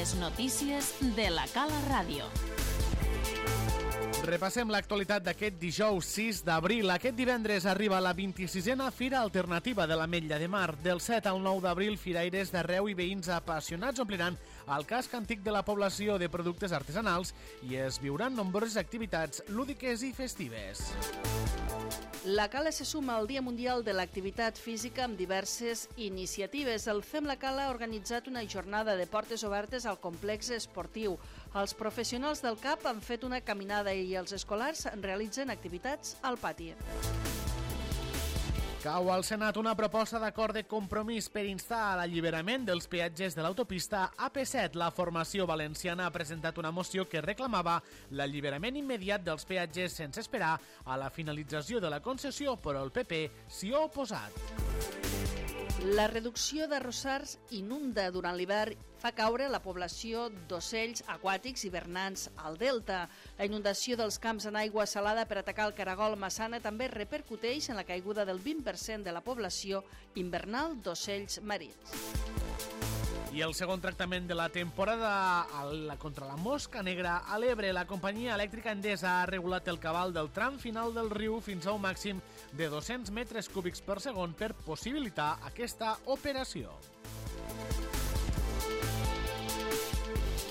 Les notícies de la Cala Ràdio. Repassem l'actualitat d'aquest dijous 6 d'abril. Aquest divendres arriba la 26a Fira Alternativa de l'Ametlla de Mar. Del 7 al 9 d'abril, firaires d'arreu i veïns apassionats ompliran el casc antic de la població de productes artesanals i es viuran nombroses activitats lúdiques i festives. La Cala se suma al Dia Mundial de l'Activitat Física amb diverses iniciatives. El FEM La Cala ha organitzat una jornada de portes obertes al complex esportiu. Els professionals del CAP han fet una caminada i els escolars realitzen activitats al pati. Cau al Senat una proposta d'acord de compromís per instar a l'alliberament dels peatges de l'autopista AP7. La formació valenciana ha presentat una moció que reclamava l'alliberament immediat dels peatges sense esperar a la finalització de la concessió, però el PP s'hi ha oposat. La reducció d'arrossars inunda durant l'hivern fa caure la població d'ocells aquàtics hivernants al delta. La inundació dels camps en aigua salada per atacar el caragol Massana també repercuteix en la caiguda del 20% de la població invernal d'ocells marins. I el segon tractament de la temporada contra la mosca negra a l'Ebre. La companyia elèctrica Endesa ha regulat el cabal del tram final del riu fins a un màxim de 200 metres cúbics per segon per possibilitar aquesta operació.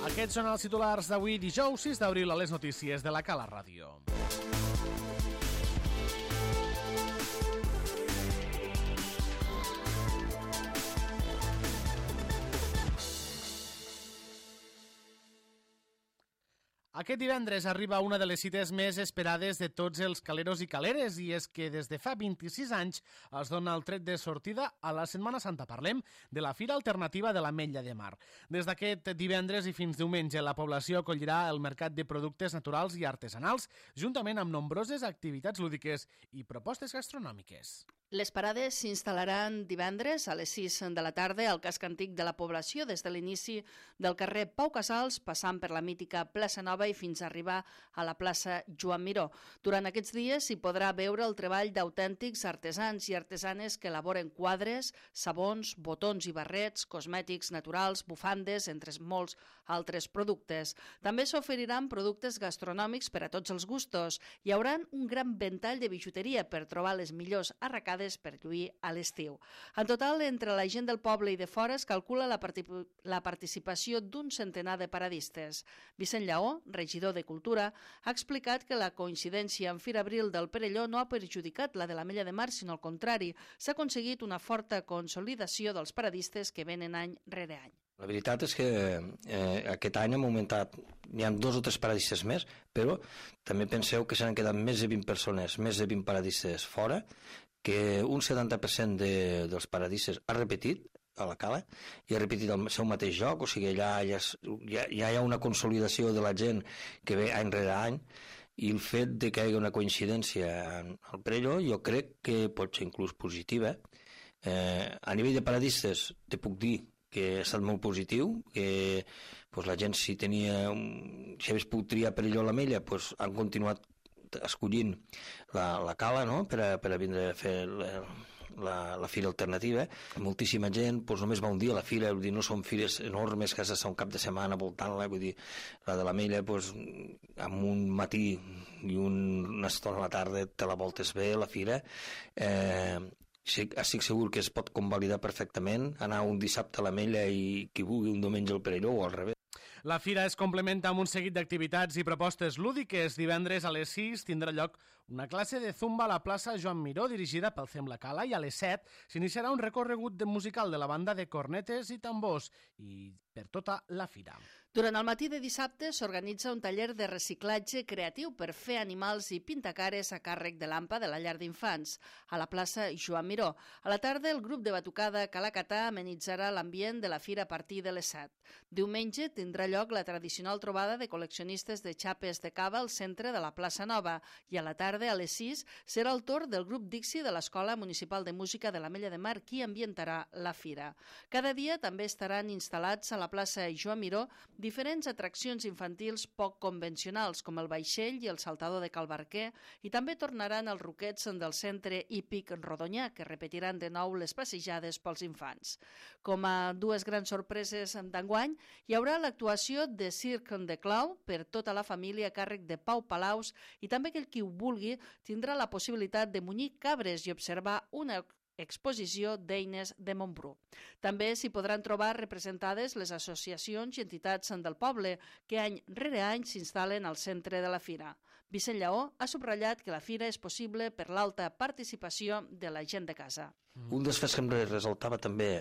Aquests són els titulars d'avui, dijous 6 d'abril, a les notícies de la Cala Ràdio. Aquest divendres arriba una de les cites més esperades de tots els caleros i caleres, i és que des de fa 26 anys es dona el tret de sortida a la Setmana Santa. Parlem de la Fira Alternativa de l'Ametlla de Mar. Des d'aquest divendres i fins diumenge, la població acollirà el mercat de productes naturals i artesanals, juntament amb nombroses activitats lúdiques i propostes gastronòmiques. Les parades s'instal·laran divendres a les 6 de la tarda al casc antic de la població, des de l'inici del carrer Pau Casals, passant per la mítica plaça Nova i fins a arribar a la plaça Joan Miró. Durant aquests dies s'hi podrà veure el treball d'autèntics artesans i artesanes que elaboren quadres, sabons, botons i barrets, cosmètics naturals, bufandes, entre molts altres productes. També s'oferiran productes gastronòmics per a tots els gustos. Hi haurà un gran ventall de bijuteria per trobar les millors arracades per lluir a l'estiu. En total, entre la gent del poble i de fora es calcula la participació d'un centenar de paradistes. Vicent Lleó, regidor de Cultura, ha explicat que la coincidència amb Fira Abril del Perelló no ha perjudicat la de l'Ametlla de Mar, sinó al contrari, s'ha aconseguit una forta consolidació dels paradistes que venen any rere any. La veritat és que aquest any hem augmentat, n'hi ha 2 o 3 paradistes més, però també penseu que s'han quedat més de 20 persones, més de 20 paradistes fora, que un 70% dels paradistes ha repetit a la Cala i ha repetit el seu mateix joc, o sigui, allà ja hi ha una consolidació de la gent que ve any rere any, i el fet de que hi hagi una coincidència al Perelló jo crec que pot ser inclús positiva. A nivell de paradistes te puc dir que ha estat molt positiu, que la gent si hagués pogut triar Perelló o l'Ametlla, han continuat escollint la Cala, no?, per a vindre a fer la fira alternativa. Moltíssima gent només va un dia a la fira, vull dir, no són fires enormes que has d'estar un cap de setmana voltant-la, vull dir, la de l'Ametlla amb un matí i una estona a la tarda te la voltes bé, la fira. Estic segur que es pot convalidar perfectament, anar un dissabte a l'Ametlla i qui vulgui un diumenge al Perelló o al revés. La fira es complementa amb un seguit d'activitats i propostes lúdiques. Divendres a les 6 tindrà lloc una classe de zumba a la plaça Joan Miró dirigida pel FEM La Cala, i a les 7 s'iniciarà un recorregut musical de la banda de cornetes i tambors i per tota la fira. Durant el matí de dissabte s'organitza un taller de reciclatge creatiu per fer animals i pintacares a càrrec de l'AMPA de la llar d'infants, a la plaça Joan Miró. A la tarda, el grup de batucada Calacatà amenitzarà l'ambient de la fira a partir de les 7. Diumenge tindrà lloc la tradicional trobada de col·leccionistes de xapes de cava al centre de la plaça Nova, i a la tarda, a les 6, serà el torn del grup Dixi de l'Escola Municipal de Música de l'Ametlla de Mar qui ambientarà la fira. Cada dia també estaran instal·lats a la plaça Joan Miró diferents atraccions infantils poc convencionals, com el vaixell i el saltador de Cal Barquer, i també tornaran els ruquets del centre hípic Rodonyà, que repetiran de nou les passejades pels infants. Com a dues grans sorpreses d'enguany, hi haurà l'actuació actuació de Cirque de Clau per tota la família a càrrec de Pau Palaus i també aquell qui ho vulgui tindrà la possibilitat de munyir cabres i observar una exposició d'eines de Montbrú. També s'hi podran trobar representades les associacions i entitats del poble que any rere any s'instal·len al centre de la fira. Vicent Lleó ha subratllat que la fira és possible per l'alta participació de la gent de casa. Un dels fets que em resaltava també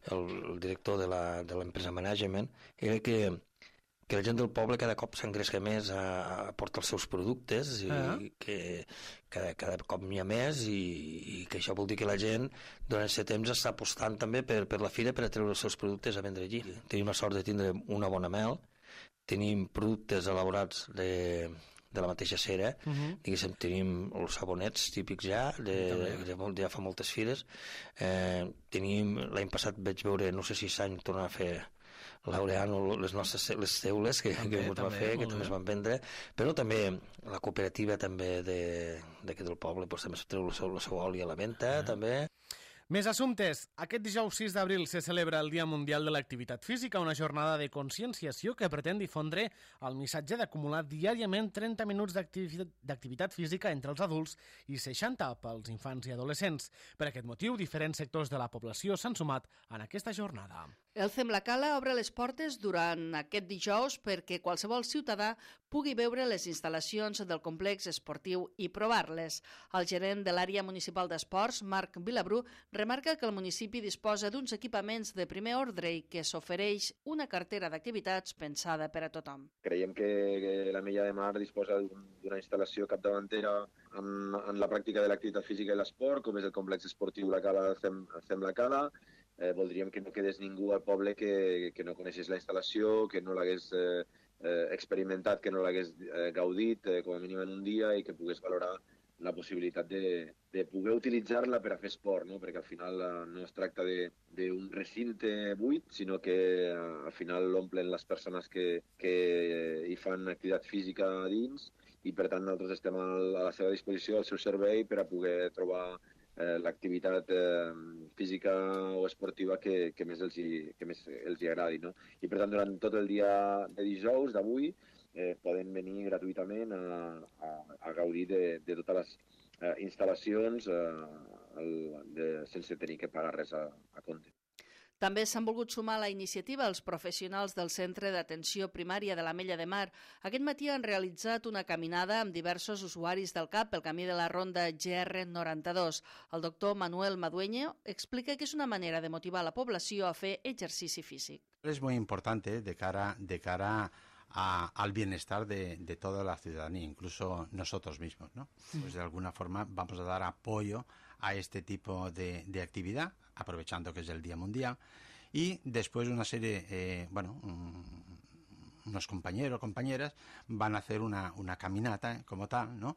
el director de l'empresa Management era que la gent del poble cada cop s'engresca més a portar els seus productes i que cada cop n'hi ha més i que això vol dir que la gent durant aquest temps està apostant també per la fira per a treure els seus productes a vendre allí. Tenim la sort de tindre una bona mel, tenim productes elaborats de la mateixa cera, diguéssim, tenim els sabonets típics ja fa moltes fires. Tenim, l'any passat vaig veure, no sé si s'any tornar a fer Laureano, les teules que ens va fer, que també es van vendre, però també la cooperativa també d'aquí del poble també treu la seva oli a la venda, també. Més assumptes. Aquest dijous 6 d'abril se celebra el Dia Mundial de l'Activitat Física, una jornada de conscienciació que pretén difondre el missatge d'acumular diàriament 30 minuts d'activitat física entre els adults i 60 pels infants i adolescents. Per aquest motiu, diferents sectors de la població s'han sumat en aquesta jornada. El CEM La Cala obre les portes durant aquest dijous perquè qualsevol ciutadà pugui veure les instal·lacions del complex esportiu i provar-les. El gerent de l'àrea municipal d'esports, Marc Vilabrú, remarca que el municipi disposa d'uns equipaments de primer ordre i que s'ofereix una cartera d'activitats pensada per a tothom. Creiem que l'Ametlla de Mar disposa d'una instal·lació capdavantera en la pràctica de l'activitat física i l'esport, com és el complex esportiu La Cala del CEM La Cala. Voldríem que no quedés ningú al poble que no coneixés la instal·lació, que no l'hagués experimentat, que no l'hagués gaudit com a mínim en un dia i que pogués valorar la possibilitat de poder utilitzar-la per a fer esport, no? Perquè al final no es tracta d'un recinte buit, sinó que al final l'omplen les persones que hi fan activitat física a dins i per tant nosaltres estem a la seva disposició, al seu servei, per a poder trobar l'activitat física o esportiva que més els agradi, no? I per tant, durant tot el dia de dijous, d'avui, poden venir gratuïtament a gaudir de totes les instal·lacions sense tenir que pagar res a compte. També s'han volgut sumar a la iniciativa els professionals del Centre d'Atenció Primària de l'Ametlla de Mar. Aquest matí han realitzat una caminada amb diversos usuaris del CAP pel camí de la ronda GR92. El doctor Manuel Madueño explica que és una manera de motivar la població a fer exercici físic. Es muy importante de cara al bienestar de toda la ciudadanía, incluso nosotros mismos, ¿no? Pues de alguna forma vamos a dar apoyo a este tipo de actividad, aprovechando que es el Día Mundial, y después una serie, unos compañeros o compañeras van a hacer una caminata como tal, ¿no?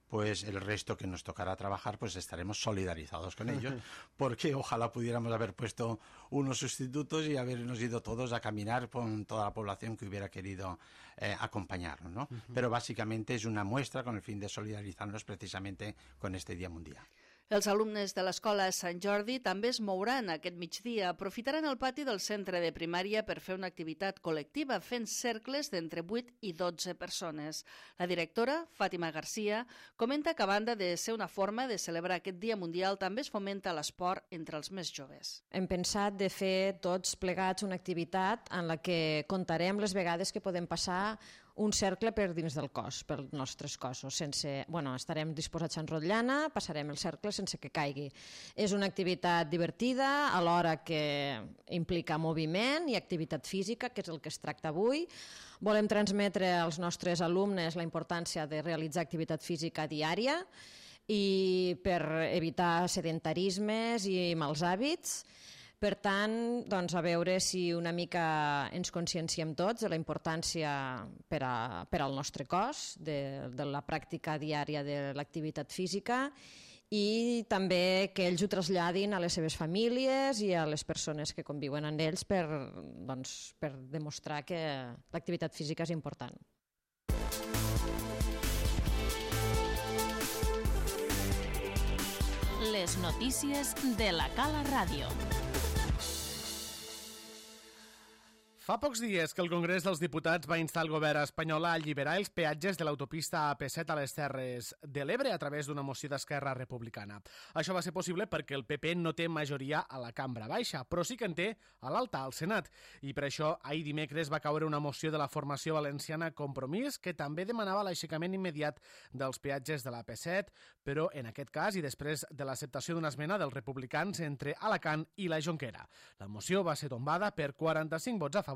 Pues el resto que nos tocará trabajar, pues estaremos solidarizados con ellos, porque ojalá pudiéramos haber puesto unos sustitutos y habernos ido todos a caminar con toda la población que hubiera querido acompañarnos, ¿no? Pero básicamente es una muestra con el fin de solidarizarnos precisamente con este Día Mundial. Els alumnes de l'Escola Sant Jordi també es mouran aquest migdia. Aprofitaran el pati del centre de primària per fer una activitat col·lectiva fent cercles d'entre 8 i 12 persones. La directora, Fàtima Garcia, comenta que a banda de ser una forma de celebrar aquest Dia Mundial també es fomenta l'esport entre els més joves. Hem pensat de fer tots plegats una activitat en la que contarem les vegades que podem passar un cercle per dins del cos, pels nostres cossos. Estarem disposats a enrotllana, passarem el cercle sense que caigui. És una activitat divertida, alhora que implica moviment i activitat física, que és el que es tracta avui. Volem transmetre als nostres alumnes la importància de realitzar activitat física diària i per evitar sedentarismes i mals hàbits. Per tant, a veure si una mica ens conscienciem tots de la importància per al nostre cos, de la pràctica diària de l'activitat física i també que ells ho traslladin a les seves famílies i a les persones que conviuen amb ells per demostrar que l'activitat física és important. Les notícies de la Cala Ràdio. Fa pocs dies que el Congrés dels Diputats va instar el govern espanyol a alliberar els peatges de l'autopista AP7 a les Terres de l'Ebre a través d'una moció d'Esquerra Republicana. Això va ser possible perquè el PP no té majoria a la cambra baixa, però sí que en té a l'alta, al Senat. I per això ahir dimecres va caure una moció de la formació valenciana Compromís que també demanava l'aixecament immediat dels peatges de l'AP7, però en aquest cas i després de l'acceptació d'una esmena dels republicans entre Alacant i la Jonquera. La moció va ser tombada per 45 vots a favor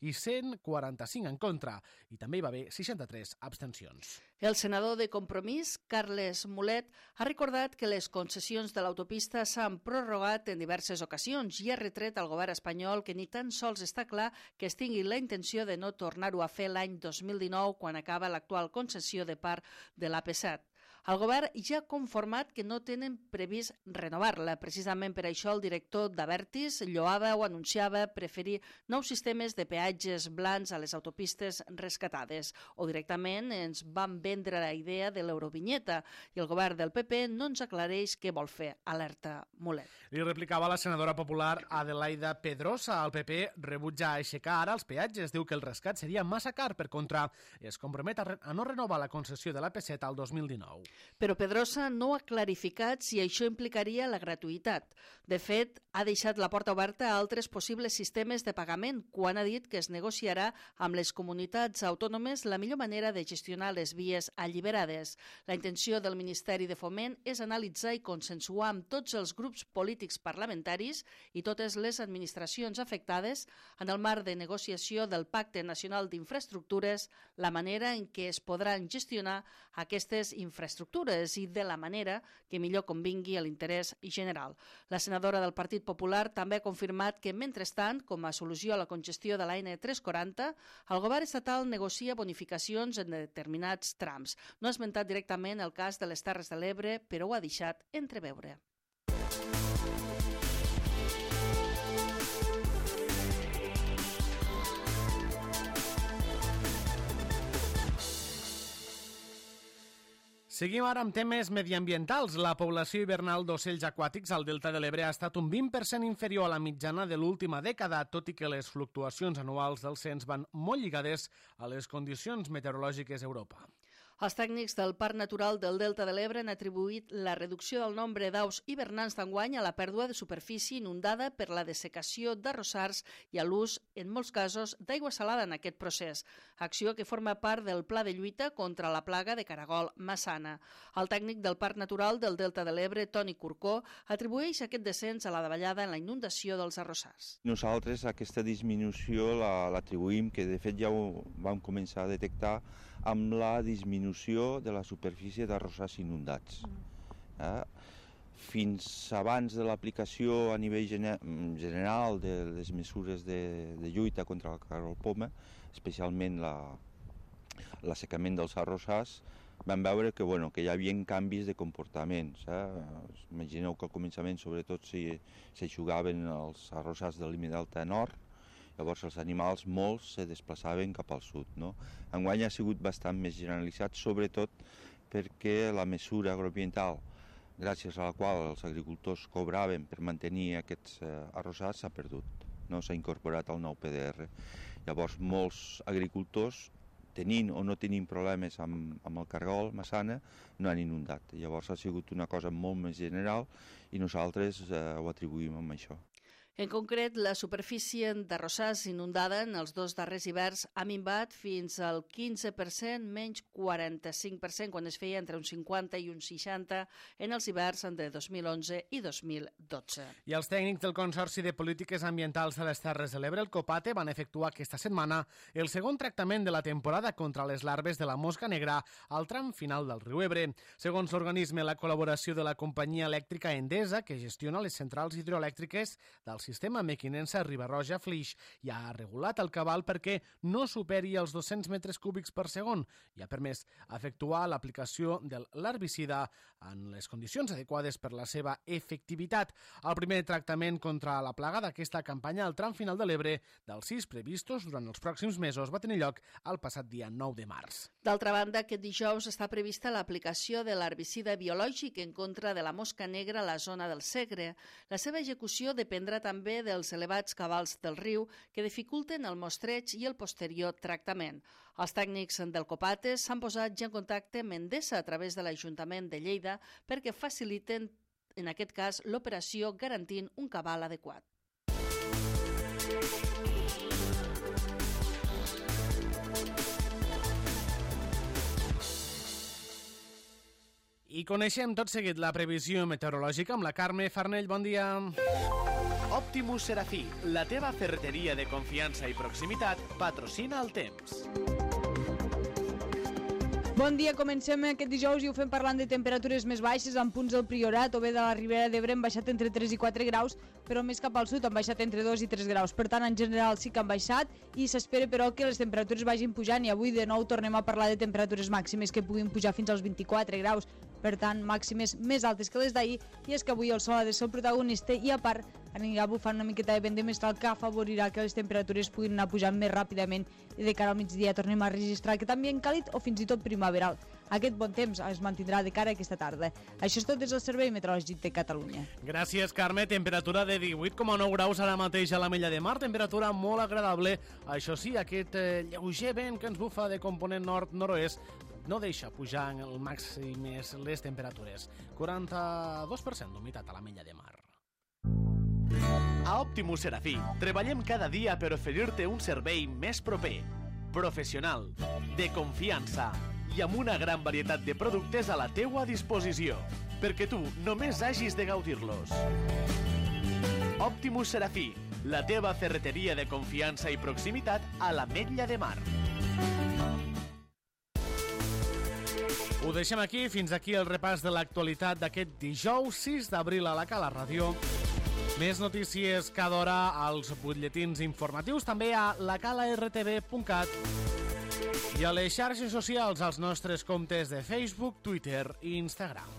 i 145 en contra, i també hi va haver 63 abstencions. El senador de Compromís, Carles Mulet, ha recordat que les concessions de l'autopista s'han prorrogat en diverses ocasions i ha retret al govern espanyol que ni tan sols està clar que es tingui la intenció de no tornar-ho a fer l'any 2019 quan acaba l'actual concessió de part de l'AP7. El govern ja ha conformat que no tenen previst renovar-la. Precisament per això el director d'Abertis lloava o anunciava preferir nous sistemes de peatges blancs a les autopistes rescatades. O directament ens van vendre la idea de l'Eurovinyeta i el govern del PP no ens aclareix què vol fer. Alerta Mulet. Li replicava la senadora popular Adelaida Pedrosa. El PP rebutja aixecar ara els peatges. Diu que el rescat seria massa car. Per contra, es compromet a no renovar la concessió de l'AP7 al 2019. Però Pedrosa no ha clarificat si això implicaria la gratuïtat. De fet, ha deixat la porta oberta a altres possibles sistemes de pagament quan ha dit que es negociarà amb les comunitats autònomes la millor manera de gestionar les vies alliberades. La intenció del Ministeri de Foment és analitzar i consensuar amb tots els grups polítics parlamentaris i totes les administracions afectades en el marc de negociació del Pacte Nacional d'Infraestructures la manera en què es podran gestionar aquestes infraestructures i de la manera que millor convingui a l'interès general. La senadora del Partit Popular també ha confirmat que, mentrestant, com a solució a la congestió de la N340, el govern estatal negocia bonificacions en determinats trams. No ha esmentat directament el cas de les Terres de l'Ebre, però ho ha deixat entreveure. Seguim ara amb temes mediambientals. La població hivernal d'ocells aquàtics al Delta de l'Ebre ha estat un 20% inferior a la mitjana de l'última dècada, tot i que les fluctuacions anuals del cens van molt lligades a les condicions meteorològiques a Europa. Els tècnics del Parc Natural del Delta de l'Ebre han atribuït la reducció del nombre d'aus hivernants d'enguany a la pèrdua de superfície inundada per la dessecació d'arrossars i a l'ús, en molts casos, d'aigua salada en aquest procés, acció que forma part del pla de lluita contra la plaga de caragol massana. El tècnic del Parc Natural del Delta de l'Ebre, Toni Corcó, atribueix aquest descens a la davallada en la inundació dels arrossars. Nosaltres aquesta disminució l'atribuïm, que de fet ja ho vam començar a detectar, amb la disminució de la superfície d'arrossars inundats. Fins abans de l'aplicació a nivell general de les mesures de lluita contra el caragol poma, especialment l'assecament dels arrossars, vam veure que hi havia canvis de comportaments. Imagineu que al començament, sobretot, s'hi jugaven els arrossars de límit delta nord, llavors els animals molts se desplaçaven cap al sud. Enguany ha sigut bastant més generalitzat, sobretot perquè la mesura agroambiental, gràcies a la qual els agricultors cobraven per mantenir aquests arrossars, s'ha perdut. S'ha incorporat al nou PDR. Llavors molts agricultors, tenint o no tenint problemes amb el caragol massana, no han inundat. Llavors ha sigut una cosa molt més general i nosaltres ho atribuïm amb això. En concret, la superfície d'arrossars inundada en els dos darrers hiverns ha minvat fins al 15%, menys 45% quan es feia entre un 50 i un 60 en els hiverns de 2011 i 2012. I els tècnics del Consorci de Polítiques Ambientals de les Terres de l'Ebre, el COPATE, van efectuar aquesta setmana el segon tractament de la temporada contra les larves de la mosca negra al tram final del riu Ebre. Segons l'organisme, la col·laboració de la companyia elèctrica Endesa, que gestiona les centrals hidroelèctriques del sistema mequinense Riba-roja Flix, ja ha regulat el cabal perquè no superi els 200 metres cúbics per segon i ha permès efectuar l'aplicació de l'herbicida en les condicions adequades per la seva efectivitat. El primer tractament contra la plaga d'aquesta campanya al tram final de l'Ebre dels 6 previstos durant els pròxims mesos va tenir lloc el passat dia 9 de març. D'altra banda, aquest dijous està prevista l'aplicació de l'herbicida biològic en contra de la mosca negra a la zona del Segre. La seva execució dependrà també també dels elevats cabals del riu que dificulten el mostreig i el posterior tractament. Els tècnics del Copates s'han posat ja en contacte amb Endesa a través de l'Ajuntament de Lleida perquè faciliten, en aquest cas, l'operació garantint un cabal adequat. I coneixem tot seguit la previsió meteorològica amb la Carme Farnell. Bon dia. Optimus Serafí, la teva ferreteria de confiança i proximitat, patrocina el temps. Bon dia, comencem aquest dijous i ho fem parlant de temperatures més baixes amb punts del Priorat o bé de la Ribera d'Ebre han baixat entre 3 i 4 graus, però més cap al sud han baixat entre 2 i 3 graus. Per tant, en general sí que han baixat i s'espera, però, que les temperatures vagin pujant i avui de nou tornem a parlar de temperatures màximes que puguin pujar fins als 24 graus. Per tant, màximes més altes que les d'ahir, i és que avui el sol ha de ser el protagonista i a part anirà bufant una miqueta de vent de mestral que afavorirà que les temperatures puguin anar pujant més ràpidament i de cara al migdia tornem a registrar aquest ambient càlid o fins i tot primaveral. Aquest bon temps es mantindrà de cara a aquesta tarda. Això és tot des del Servei Meteorològic de Catalunya. Gràcies, Carme. Temperatura de 18,9 graus ara mateix a l'Ametlla de Mar. Temperatura molt agradable. Això sí, aquest lleuger vent que ens bufa de component nord-nord-oest no deixa pujar en el màxim les temperatures. 42% d'humitat a l'Ametlla de Mar. A Optimus Serafí, treballem cada dia per oferir-te un servei més proper, professional, de confiança i amb una gran varietat de productes a la teua disposició, perquè tu només hagis de gaudir-los. Optimus Serafí, la teva ferreteria de confiança i proximitat a l'Ametlla de Mar. Ho deixem aquí. Fins aquí el repàs de l'actualitat d'aquest dijous 6 d'abril a la Cala Ràdio. Més notícies cada hora als butlletins informatius, també a lacalartv.cat i a les xarxes socials als nostres comptes de Facebook, Twitter i Instagram.